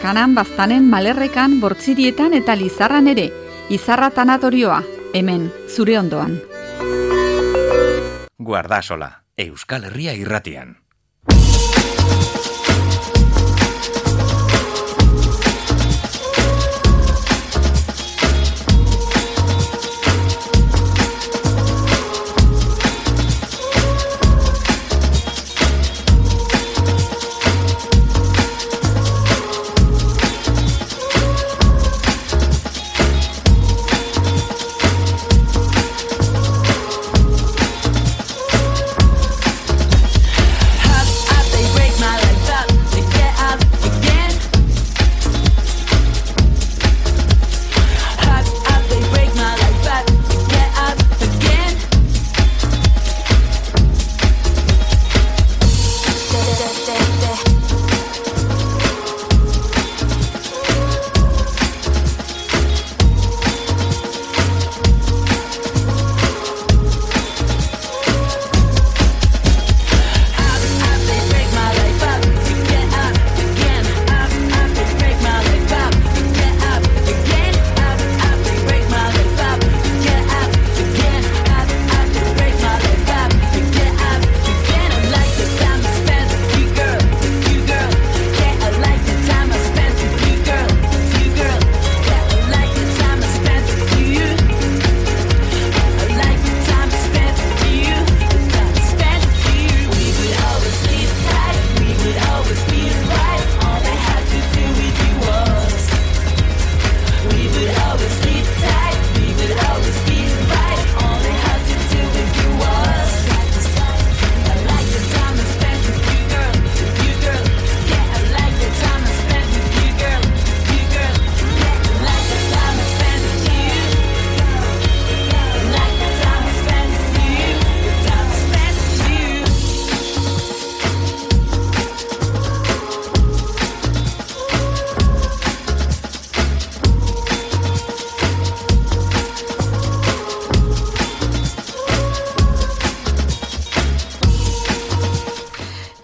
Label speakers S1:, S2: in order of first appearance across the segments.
S1: Kanan Baztanen, Malerrekan, Bortzirietan eta Lizarran ere. Izarra tanatorioa, hemen, zure ondoan.
S2: Guardasola, Euskal Herria irratian.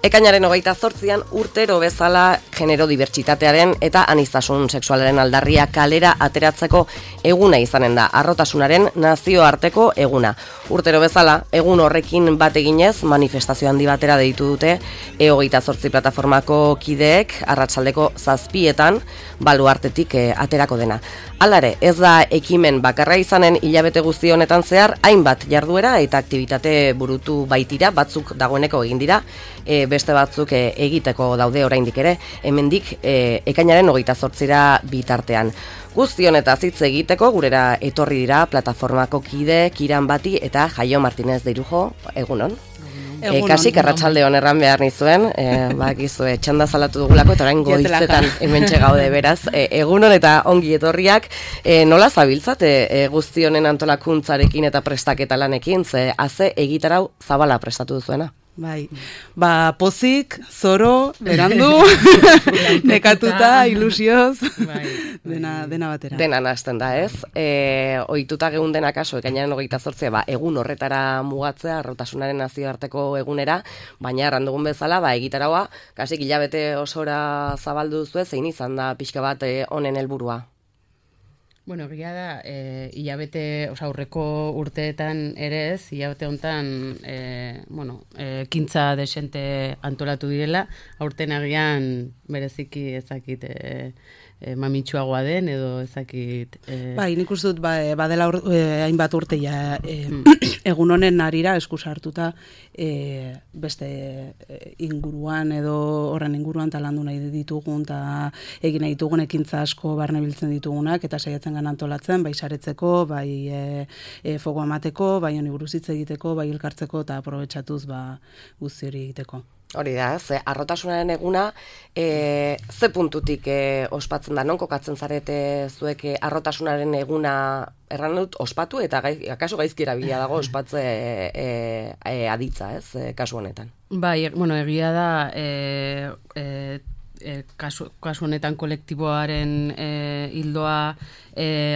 S3: Ekainaren 28an urtero bezala genero dibertsitatearen eta aniztasun sexualaren aldarria kalera ateratzeko eguna izanen da, harrotasunaren nazioarteko eguna. Urtero bezala, egun horrekin bat eginez, manifestazio handi batera deitu dute E28 plataformako kideek arratsaldeko 7etan baluartetik aterako dena. Halare, ez da ekimen bakarra izanen hilabete guzti honetan zehar, hainbat jarduera eta aktibitate burutu baitira, batzuk dagoeneko egin dira, beste batzuk egiteko daude oraindik ere, hemendik ekainaren 28ra bitartean. Guzti honetaz hitz egiteko gurera etorri dira plataformako kide Kiran Bati eta Jaio Martinez de Irujo, egunon. Kasik arratsalde on erran behar nizuen, bakizue txanda salatu dugulako eta orain goizetan hementxe gaude beraz. Egunon eta ongi etorriak, nola zabiltzate guzti honen antolakuntzarekin eta prestaketa lanekin, ze haze egitarau zabala prestatu duzuena?
S4: Bai, pozik, zoro, berandu, nekatuta, ilusioz, dena batera.
S3: Dena hasten da, ez? Ohituta geun dena kaso, ekainaren 28, egun horretara mugatzea, harrotasunaren nazioarteko egunera, baina errandugun bezala, egitaraua, kasik hilabete osora zabaldu duzue, zein izan da pixka bat honen helburua?
S5: Bueno, egia da, hilabete, aurreko urteetan ere ez, hilabete honetan, kintza desente antolatu direla, aurten agian bereziki ezakit mamitsuagoa den, edo ezakit...
S4: Bai, nik uste dut, badela hainbat urte egun honen arira eskusa hartuta beste inguruan edo horren inguruan talandu nahi ditugun eta egin nahi ditugun ekintza asko barne biltzen ditugunak eta saiatzen gana antolatzen, bai saretzeko, bai fogo emateko, bai honi buruz hitz egiteko, bai elkartzeko eta aprobetxatuz guzti hori egiteko.
S3: Hori da, ze harrotasunaren eguna ze puntutik ospatzen da, non kokatzen zarete zuek harrotasunaren eguna erran dut ospatu eta akaso gaizki erabilia dago ospatze aditza, ez, kasu honetan.
S5: Bai, egia da kasu honetan kolektiboaren hildoa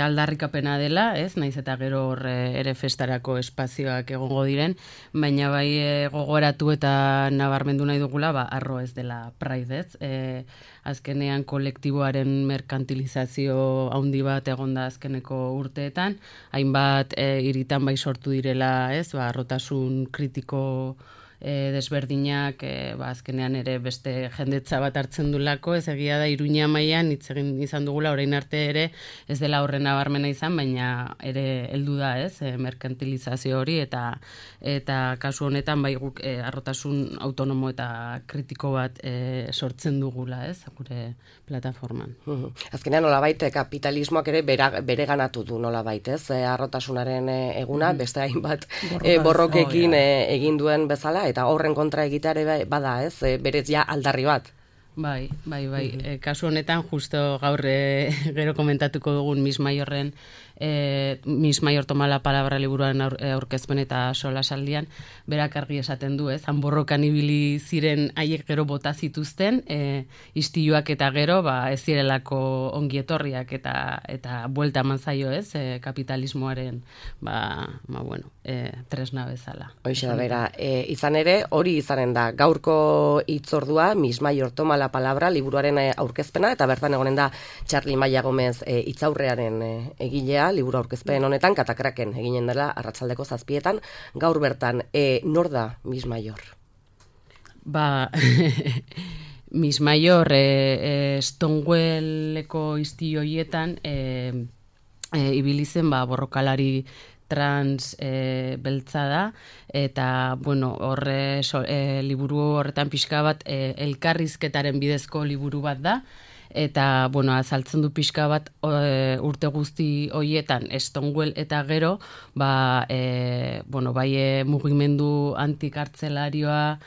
S5: aldarrikapena dela, ez? Naiz eta gero hor ere festarako espazioak egongo diren, baina bai gogoratu eta nabarmendu nahi dugula, arro ez dela Pride, ez? Azkenean kolektiboaren merkantilizazio handi bat egonda azkeneko urteetan, hainbat hiritan bai sortu direla, ez? Arrotasun kritiko desberdinak azkenean ere beste jendetza bat hartzen dulako, ez egia da Iruña mailan hitz egin izan dugula orain arte ere ez dela horren nabarmena izan, baina ere heldu da, ez, merkantilizazio hori eta kasu honetan bai guk arrotasun autonomo eta kritiko bat sortzen dugula, ez, gure plataforman.
S3: Azkenean nolabait kapitalismoak ere bereganatu du nolabait, ez? Arrotasunaren eguna beste hainbat borrokekin egin duen bezala eta horren kontra egiteare bada, ez? Berez ja aldarri bat.
S5: Bai. Kasu honetan justo gaur gero komentatuko dugun Miss Mayor toma la palabra liburuaren aurkezpen eta solasaldian berak argi esaten du, ez? Han borrokan ibili ziren haiek gero bota zituzten, istiluak eta gero ez zirelako ongietorriak eta buelta eman zaio, ez? Kapitalismoaren tresna bezala.
S3: Hoxe da bera, izan ere hori izanen da gaurko hitzordua Miss Mayor toma la palabra liburuaren aurkezpena eta bertan egonen da Txarli Maia Gomez hitzaurrearen egilea liburu aurkezpen honetan Katakraken eginen dela arratsaldeko 7:00 gaur bertan. Nor da Miss Mayor?
S5: Miss Mayor Stonewalleko istilu horietan ibili zen borrokalari trans beltza da, eta, liburu horretan pixka bat elkarrizketaren bidezko liburu bat da, eta, azaltzen du pixka bat urte guzti horietan Stonewall eta gero, bai mugimendu antikartzelarioa,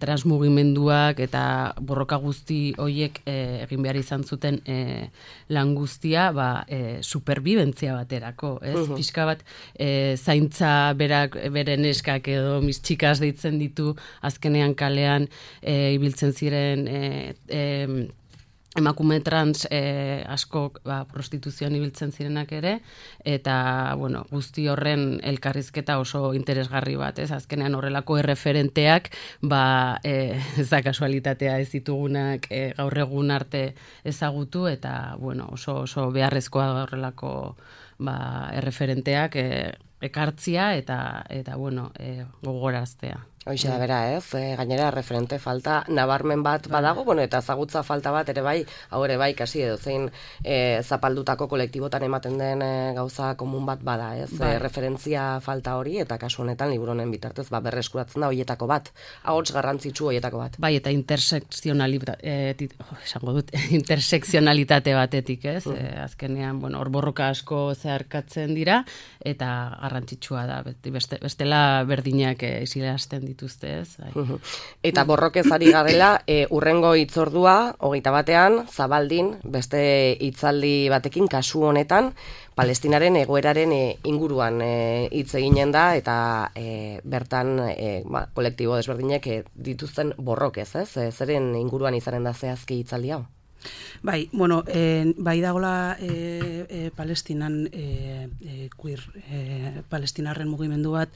S5: transmugimenduak eta borroka guzti horiek egin behar izan zuten lan guztia superbibentzia baterako, ez? Pixka bat zaintza beren eskak edo mis txikas deitzen ditu azkenean kalean ibiltzen ziren emakume trans asko prostituzioan ibiltzen zirenak ere, eta guzti horren elkarrizketa oso interesgarri bat, ez? Azkenean horrelako erreferenteak ez da kasualitatea ez ditugunak gaur egun arte ezagutu, eta oso beharrezkoa horrelako erreferenteak ekartzia eta gogoraztea.
S3: Hoxe da bera, ez? Gainera referente falta nabarmen bat badago, eta ezagutza falta bat ere bai, hau ere bai, kasi edo zein zapaldutako kolektibotan ematen den gauza komun bat bada, ez? Referentzia falta hori, eta kasu honetan liburu honen bitartez berreskuratzen da hoietako bat, ahots garrantzitsu hoietako bat.
S5: Bai, eta intersekzionalitate batetik, ez? Azkenean, hor borroka asko zeharkatzen dira, eta garrantzitsua da, bestela berdinak isilarazten dituzte, ez?
S3: Eta borrokez ari garela, urrengo hitzordua, 21 Zabaldin, beste hitzaldi batekin kasu honetan, Palestinaren egoeraren inguruan hitz eginen da, eta bertan kolektibo desberdinek dituzten borrokez, ez? Zeren inguruan izanen da zehazki hitzaldi hau?
S4: Bai, bai dagoela Palestinan queer palestinarren mugimendu bat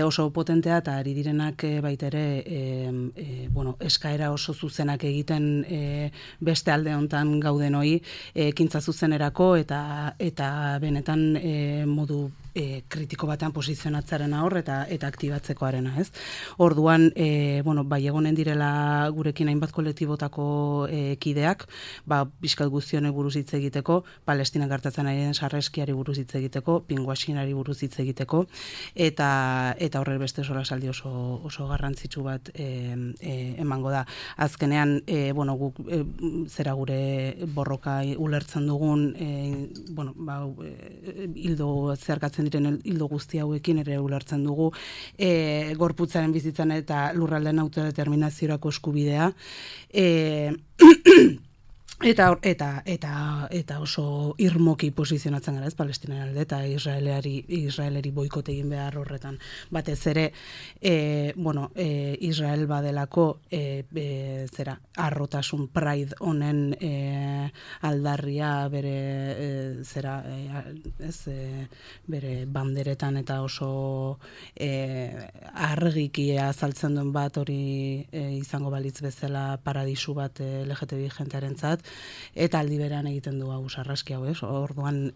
S4: oso potentea eta ari direnak baita ere eskaera oso zuzenak egiten beste alde hontan gauden hori ekintza zuzenerako eta benetan modu kritiko batean posizionatzarena hor eta aktibatzekoarena, ez? Orduan, bai egonen direla gurekin hainbat kolektibotako kideak, pixkat guztionek buruz hitz egiteko, Palestinan gertatzen ari den sarreskiari buruz hitz egiteko, pinguaxinari buruz hitz egiteko, eta horre beste solasaldi oso garrantzitsu bat emango da. Azkenean, guk zera gure borroka ulertzen dugun, hildo zeharkatzen diren hildo guzti hauekin ere ulertzen dugu gorputzaren bizitzan eta lurraldeen autodeterminaziorako eskubidea. Eta oso irmoki posizionatzen gara, ez, Palestinaren alde, eta Israeleri boikote egin behar horretan. Batez ere, Israel badelako arrotasun pride honen aldarria bere bere banderetan eta oso argiki azaltzen duen bat hori izango balitz bezala paradisu bat LGTBI jentearentzat, eta aldi berean egiten du hau sarraski hau, ez? Orduan,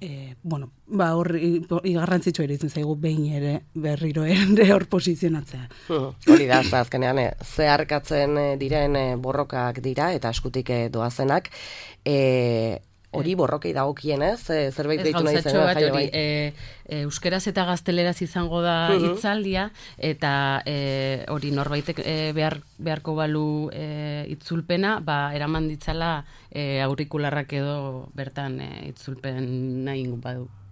S4: horri garrantzitsua iruditzen zaigu behin ere berriro ere hor posizionatzea.
S3: Hori da, azkenean, zeharkatzen diren borrokak dira, eta eskutik doazenak, hori borrokei dagokienez, zerbait deitu nahi zen.
S5: Euskeraz eta gazteleraz izango da hitzaldia, eta hori norbaitek beharko balu itzulpena, eraman ditzala aurikularrak edo bertan itzulpen nahi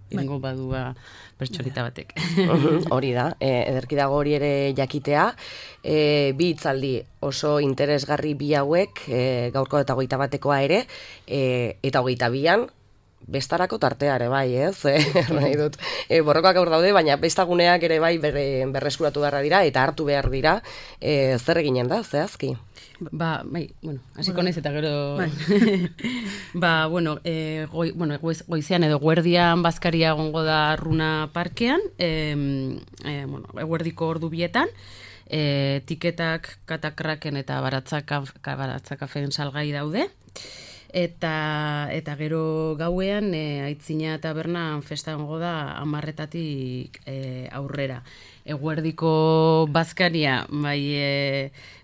S5: ingo badua pertsonita batek.
S3: Hori da, ederki dago hori ere jakitea. Bi hitzaldi oso interesgarri bi hauek, gaurko eta 21 ere, eta 22an, bestarako tartea ere bai, ez? Nahi dut, borrokak aur daude, baina bestaguneak ere bai berreskuratu beharra dira, eta hartu behar dira, zer eginen da, zehazki?
S5: Hasiko naiz eta gero... goizean edo guerdian bazkaria egongo da Runa Parkean, eguerdiko ordu bietan, tiketak Katakraken eta Baratzakafeen salgai daude, eta gero gauean Aitzina tabernan festa egongo da 10:00 aurrera. Eguerdiko bazkaria,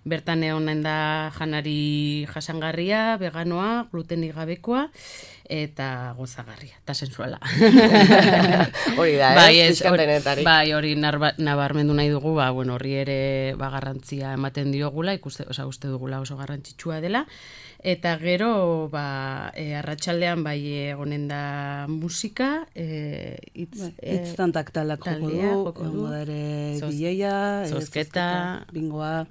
S5: bertan egonen da janari jasangarria, veganoa, glutenik gabekoa, eta gozagarria, eta sensuala.
S3: Hori da, pizkantenetarik.
S5: Hori nabarmendu nahi dugu, horri ere garrantzia ematen diogula, uste dugula oso garrantzitsua dela, eta gero, arratsaldean egonen da musika,
S4: hitztan taktalak joko du, bileia,
S5: zozketa,
S4: bingoa.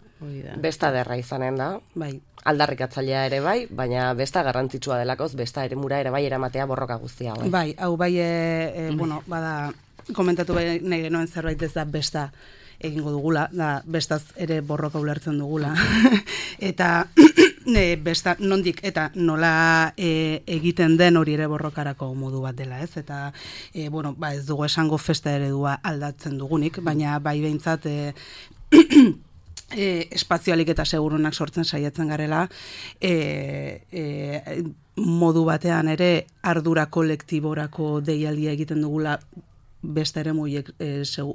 S3: Besta derra izanen da.
S4: Bai.
S3: Aldarrikatzailea ere bai, baina besta garrantzitsua delakoz, besta eremura ere bai eramatea borroka guztia.
S4: Bai, hau bada, komentatu nahi genuen zerbait ez da besta egingo dugula, da bestaz ere borroka ulertzen dugula. Eta besta nondik eta nola egiten den hori ere borrokarako modu bat dela, ez? Eta ez dugu esango festa eredua aldatzen dugunik, baina bai behintzat espazioalik eta segurunak sortzen saiatzen garela, modu batean ere ardura kolektiborako deialdia egiten dugula beste ere muiek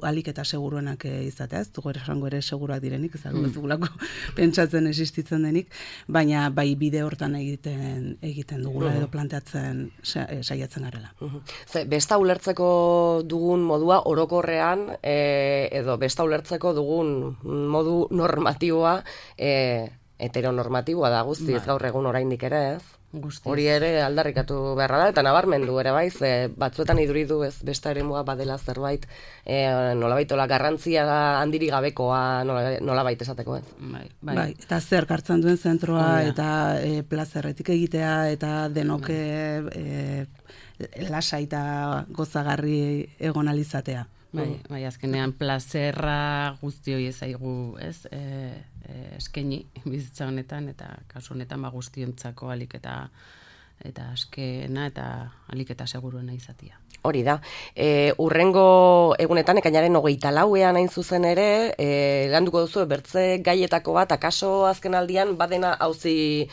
S4: alik eta seguruenak izatea, ez dugu esango ere seguruak direnik, ez dugulako pentsatzen existitzen denik, baina bai bide hortan egiten dugula edo planteatzen saiatzen garela.
S3: Besta ulertzeko dugun modua orokorrean, edo besta ulertzeko dugun modu normatiboa, heteronormatiboa da guztiz gaur egun oraindik ere, ez? Hori ere aldarrikatu beharra da, eta nabarmendu ere bai, batzuetan iduridu ez besta eremua badela zerbait, nolabaitola garrantzia handiri gabekoa nolabait esateko, ez?
S4: Bai, eta zer hartzen duen zentroa, eta plazerretik egitea, eta denok lasa eta gozagarri egon alizatea.
S5: Bai, azkenean plazerra guzti hori ezaigu, ez? Eskaini bizitza honetan, eta kasu honetan guztiontzako alik eta askena eta alik eta seguruena izatea.
S3: Hori da. Urrengo egunetan, ekainaren 24ean hain zuzen ere, landuko duzu bertze gaietako bat, akaso azken aldian, badena auzi,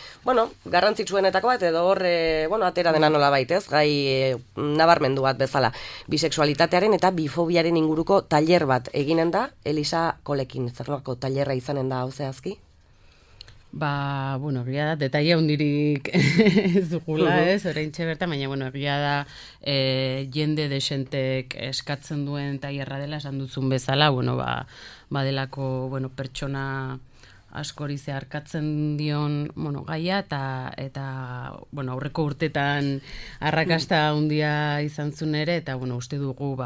S3: garrantzitsuenetako bat, edo hor, atera dena nola baitez, gai nabarmendu bat bezala. Bisexualitatearen eta bifobiaren inguruko tailer bat eginen da, Elisa Kolekin, zerlako tailerra izanen da hau zehazki?
S5: Egia da, detaile hundirik ez dugula, ez, oraintxe bertan, baina, egia da, jende desentek eskatzen duen tailerra dela, esan duzun bezala, badelako, pertsona askori zeharkatzen dion, gaia, eta aurreko urtetan arrakasta handia izan zuen ere, eta, uste dugu,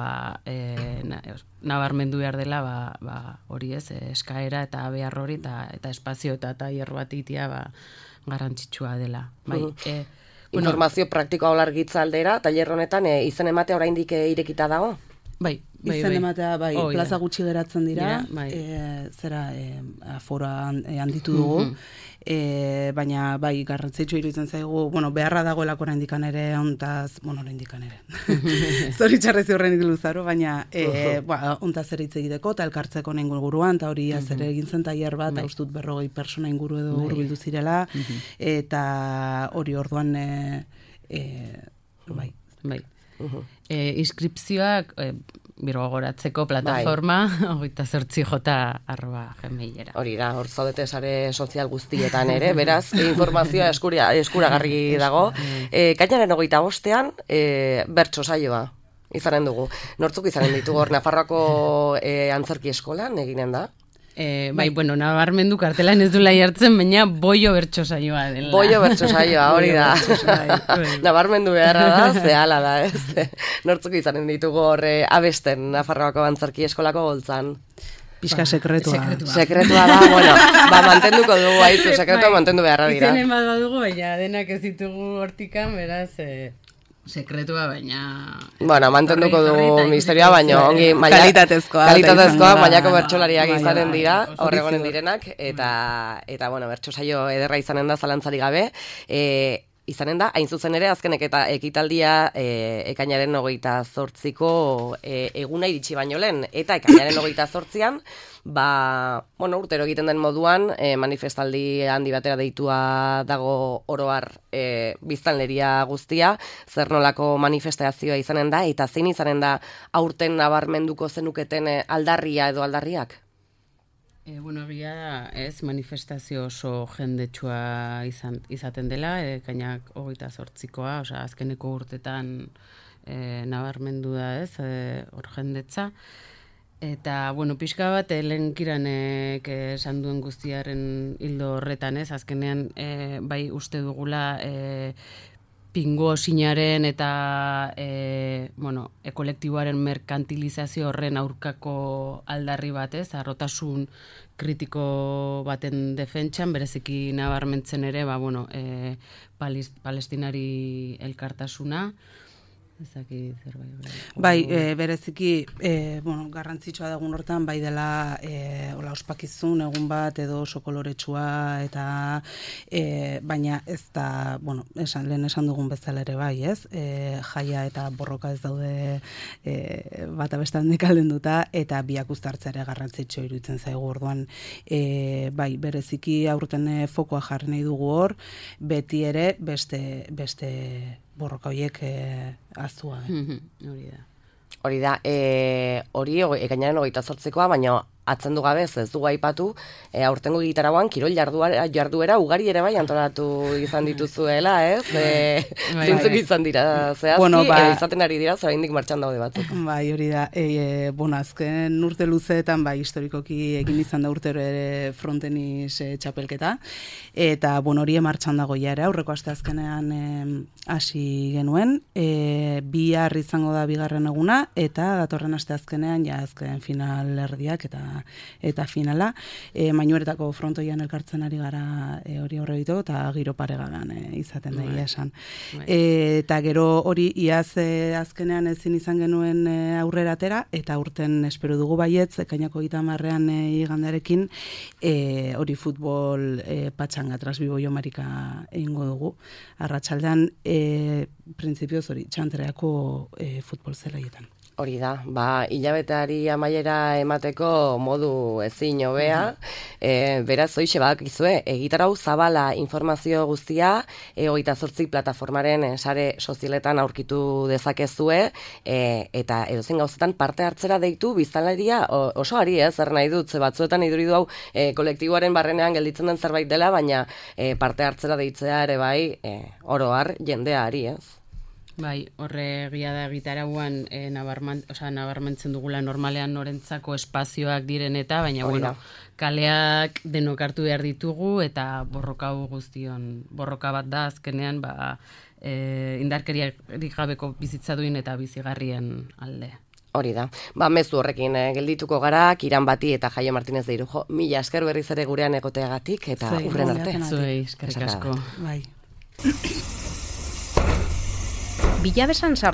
S5: nabarmendu behar dela, hori ez, eskaera eta behar hori, eta espazio eta tailer bat itia, garrantzitsua dela.
S3: informazio praktikoa olargitza aldera, tailer honetan izen ematea oraindik irekita dago?
S5: Bai.
S4: Izen ematea, plaza gutxi geratzen dira, afora handitu dugu, baina garrantzitsu iruditzen zaigu, beharra dagoelako oraindikan ere, oraindikan ere. Zoritxarrez horren luzaro, baina ontaz ere hitz egiteko, eta elkartzeko inguruan, eta hori ere egin zen tailer bat, ustut 40 persona inguru edo hurbildu zirela, eta hori orduan,
S5: bai. Inskripzioak birgogoratzeko plataforma 28j@gmailera.
S3: Hori da, hor zaudete sare sozial guztietan ere, beraz, informazioa eskuragarri dago. Ekainaren 25ean bertso saioa izanen dugu. Nortzuk izanen ditugu hor Nafarroako antzerki eskolan eginen da?
S5: Nabarmendu kartelan ez dula jartzen, baina boio bertso saioa dela.
S3: Boio bertso saioa, hori da. Nabarmendu beharra da, zehala da, ez? Nortzuk izanen ditugu hor abesten Nafarroako antzerki eskolako goltzan.
S4: Pixka sekretua.
S3: Sekretua da, mantenduko dugu haizu, sekretua mantendu beharra dira.
S5: Izenen bat badugu, baina denak ez ditugu hortikan, beraz... sekretua, baina...
S3: mantenduko dugu misterioa, baina ongi...
S4: Kalitatezkoa,
S3: mailako bertsolariak izanen dira, horregonen direnak, eta bertso saio ederra izanen da zalantzari gabe. Izanen da, hain zuzen ere, azkenek eta ekitaldia ekainaren 28ko eguna iritsi baino lehen, eta ekainaren 28an, urtero egiten den moduan, manifestaldi handi batera deitua dago oroar biztanleria guztia, zer nolako manifestazioa izanen da, eta zein izanen da aurten nabarmenduko zenuketen aldarria edo aldarriak?
S5: Egia ez manifestazio oso jendetsua izaten dela, ekainak 28koa, azkeneko urtetan nabarmendu da ez, hor jendetza. Eta, pixka bat, lehenkiranek esan duen guztiaren hildo horretan ez, azkenean bai uste dugula pingo sinaren eta kolektiboaren merkantilizazio horren aurkako aldarri bat ez, harrotasun kritiko baten defentsan, bereziki nabarmentzen ere, palestinari elkartasuna, ezaki zerbait.
S4: Bereziki, garrantzitsua dagun hortan, bai dela ospakizun egun bat edo oso koloretsua eta baina ez da, lehen esan dugun bezala ere bai, ez? Jaia eta borroka ez daude bata bestan dekaldenduta eta biak uztartzea ere garrantzitsua iruditzen zaigu orduan. Bereziki aurten fokoa jarri nahi dugu hor, beti ere beste borroka horiek aztua.
S3: Hori da, ekainaren 28koa, baina atzendu gabe ez dugu aipatu, aurtengo gitarauan kirol jarduera ugari ere bai antolatu izan dituzuela, ez? Zintzuk izan dira, zehazki, izaten ari dira, oraindik martxan daude batzuk.
S4: Hori da, azken urte luzeetan, historikoki egin izan da urtero ere frontenis txapelketa, eta hori martxan dago ere, aurreko aste azkenean hasi genuen, bihar izango da bigarren eguna, eta datorren aste azkenean, azken final erdiak eta finala, Mainuretako frontoian elkartzen ari gara hori aurre ditu, eta giro paregadan izaten da esan. Eta gero hori iaz azkenean ezin izan genuen aurrera atera, eta urten espero dugu baietz, ekainako 30ean igandarekin, hori futbol patxanga, Trasbibo Jomarika egingo dugu. Arratsaldean, printzipioz hori, txantreako futbol zelaietan.
S3: Hori da, hilabeteari amaiera emateko modu ezin hobea, beraz, hoixe badakizue, egitarau zabala informazio guztia, 28 plataformaren sare sozialetan aurkitu dezakezue, eta edozein gauzetan parte hartzera deitu biztanleria oso ari ez, zer nahi dut, batzuetan iduridu hau kolektiboaren barrenean gelditzen den zerbait dela, baina parte hartzera deitzea ere bai, oroar jendea ari ez.
S5: Horre egia da gitarauan nabarmentzen dugula normalean norentzako espazioak diren eta, baina kaleak denok hartu behar ditugu eta borroka bat da azkenean indarkeriarik gabeko bizitza duin eta bizigarrien alde.
S3: Hori da. Mezu horrekin geldituko gara, Kiran Bati eta Jaio Martinez de Irujo. Mila esker berriz ere gurean egoteagatik eta urren arte.
S5: Zuei, eskerrik asko.
S4: Bai.
S6: bilabesan